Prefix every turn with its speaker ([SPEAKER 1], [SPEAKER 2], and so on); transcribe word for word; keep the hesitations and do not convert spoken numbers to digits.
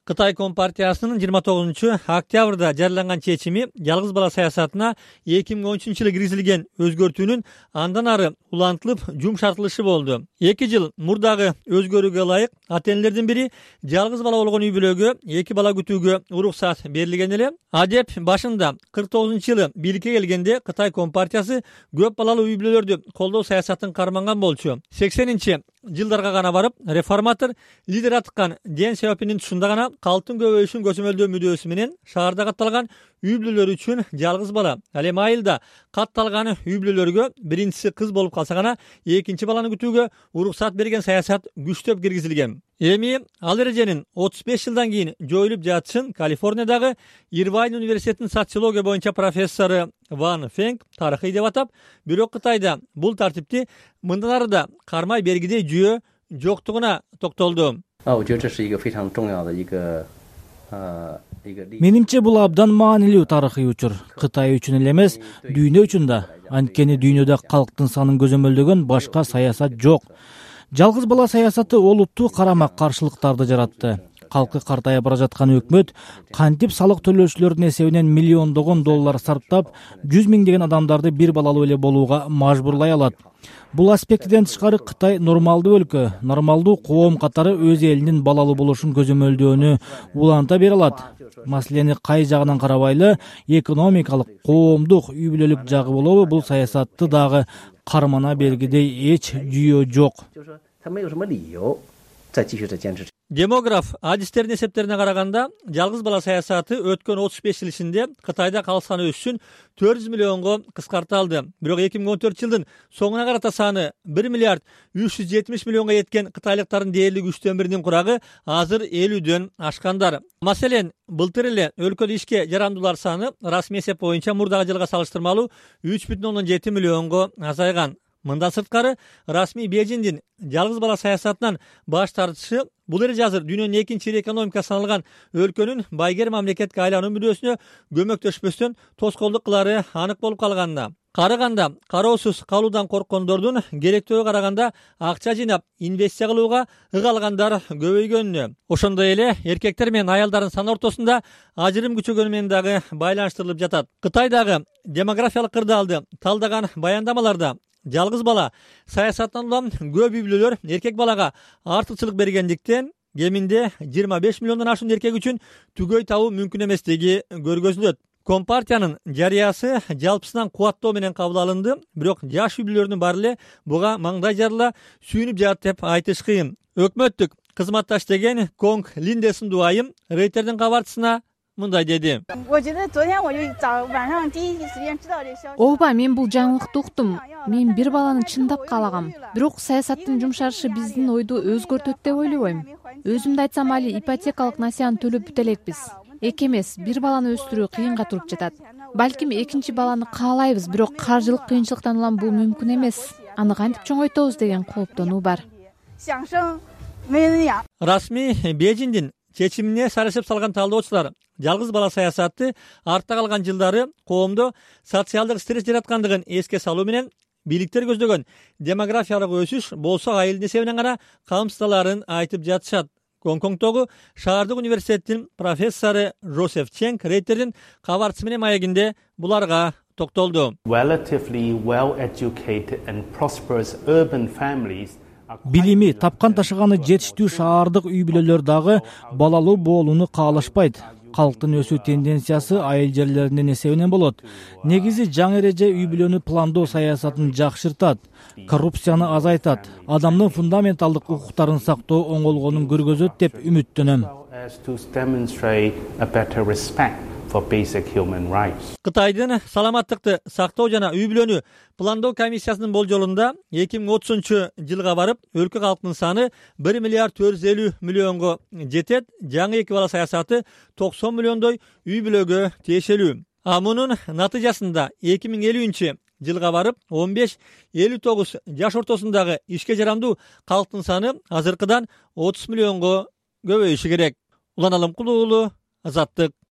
[SPEAKER 1] Кытай Компартиясынын жыйырма тогузунчу октябрда жарыяланган чечими жалгыз бала саясатына эки миң он үчүнчү жылы киргизилген өзгөртүүнүн андан ары улантылып жумшартылышы болду. эки жыл мурдагы өзгөрүүгө ылайык ата энелердин бири жалгыз бала болгон үй бүлөгө эки бала күтүүгө уруксат берилген эле. Адеп башында кырк тогузунчу жылы бийликке келгенде Кытай Компартиясы көп балалуу үй бүлөлөрдү колдоо саясатын карманган болчу. сексенинчи жылдарга гана барып реформатор лидер атыккан Дэн Сяопиндин тушунда гана калктын көбөйүшүн көзөмөлдөө мүдөөсү менен шаарда катталган үй бүлөлөр үчүн жалгыз бала, ал эми айылда катталган үй бүлөлөргө биринчиси кыз болуп калса гана экинчи баланы күтүүгө уруксат берген саясат күчтөп киргизилген. Эми ал эреженин отуз беш жылдан кийин жоюлуп жатышын Калифорниядагы Ирвайн университетинин социология боюнча профессору Ван Фенг тарыхый деп атап, бирок Кытайда бул тартипти мындан ары да кармай бергидей жүйө жоктугуна токтолду.
[SPEAKER 2] Менимче бул абдан маанилүү тарыхый учур. Кытай үчүн эле эмес, дүйнө үчүн да. Анткени дүйнөдө калктын санын көзөмөлдөгөн башка саясат жок. Жалгыз бала саясаты олуттуу карама-каршылыктарды жаратты. Калкы картая бара жаткан өкмөт кантип салык төлөөчүлөрдүн эсебинен миллиондогон доллар сарптап, жүз миңдеген адамдарды бир балалуу эле болууга мажбурлай алат. Бул аспектиден тышкары Кытай нормалдуу өлкө, нормалдуу коом катары өз элинин балалуу болушун көзөмөлдөөнү уланта бере алат. Маселени кай жагынан карабайлы, экономикалык, коомдук, үй бүлөлүк жагы болобу, бул саясатты дагы кармана бергидей эч жүйө жок.
[SPEAKER 1] Демограф адистердин эсептерине караганда, жалгыз бала саясаты өткөн отуз беш жыл ичинде Кытайда калк саны өсүшүн төрт жүз миллионго кыскарталды. Бирок эки миң он төртүнчү жылдын соңуна карата саны бир миллиард үч жүз жетимиш миллионго жеткен кытайлыктардын дээрлик үчтөн биринин курагы азыр элүүдөн ашкандар. Маселен, былтыр эле өлкөдө ишке жарандуулар саны расмий эсеп боюнча мурдагы жылга салыштырмалуу үч бүтүн ондон жети миллионго азайган. Мындан сырткары, расмий Бейжиңдин жалгыз бала саясатынан баш тартышы бул эреже азыр дүйнөнүн экинчи ири экономика саналган өлкөнүн байгер мамлекетке айлануу мүдөөсүнө көмөктөшпөстөн тоскоолдук кылары анык болуп калганда. Карыганда кароосуз калуудан корккондордун керектөөгө караганда акча жыйнап инвестиция кылууга ыгалгандар көбөйгөнүнө, ошондой эле эркектер менен аялдардын саны ортосунда ажырым күчөгөнү менен дагы байланыштырылып жатат. Кытайдагы демографиялык кырдаалды талдаган баяндамаларда жалгыз бала саясаттан улам көп үй бүлөлөр эркек балага артыкчылык бергендиктен кеминде жыйырма беш миллиондон ашуун эркек үчүн түгөй табуу мүмкүн эместиги көргөзүлөт. Компартиянын жарыясы жалпысынан кубаттоо менен кабыл алынды, бирок жаш үй бүлөлөрдүн баары эле буга маңдай жарыла сүйүнүп жатат деп айтыш кыйын. Өкмөттүк кызматташ деген Конг Линде сындуу айым Рейтердин кабарчысына мындай деди.
[SPEAKER 3] Ооба, мен бул жаңылыкты уктум. Мен бир баланы чындап каалагам. Бирок саясаттын жумшарышы биздин ойду өзгөртөт деп ойлобойм. Өзүмдү айтсам, али ипотекалык насыяны төлөп бүтө элекпиз. Эки эмес, бир баланы өстүрүү кыйынга туруп жатат. Балким экинчи баланы каалайбыз, бирок каржылык кыйынчылыктан улам бул мүмкүн эмес. Аны кантип чоңойтобуз деген кооптонуу бар.
[SPEAKER 1] Расмий Бейжиңдин чечимине сарышып салган талдоочулар жалгыз бала саясаты артта калган жылдары коомдо социалдык стресс жараткандыгын эске салуу менен бийликтер көздөгөн демографиялык өсүш болсо айылдын эсебинен гана камсыздаларын айтып жатышат. Гонконгдогу шаардык университеттин профессору Жозеф Ченг Рейтердин кабарчысы менен маегинде буларга токтолду.
[SPEAKER 2] Билими, тапкан ташыганы жетиштүү шаардык үй бүлөлөр дагы балалуу болууну каалашпайт. Калктын өсүү тенденциясы айыл жерлеринин эсебинен болот. Негизи жаңы эреже үй бүлөнү пландоо саясатын жакшыртат, коррупцияны азайтат, адамдын фундаменталдык укуктарын сактоо оңолгонун көргөзөт деп үмүттөнөм.
[SPEAKER 1] Кытайдын саламаттыкты сактоо жана үй бүлөнү пландоо комиссиясынын болжолунда эки миң отузунчу жылга барып өлкө калктын саны бир миллиард төрт жүз элүү миллионго жетет. Жаңы эки бала саясаты токсон миллиондой үй бүлөгө тиешелүү. А мунун натыйжасында эки миң элүүнчү жылга барып он беш элүү тогуз жаш ортосундагы ишке жарамдуу калктын саны азыркыдан отуз миллионго көбөйүшү керек. Улан Алымкулуу, Азаттык.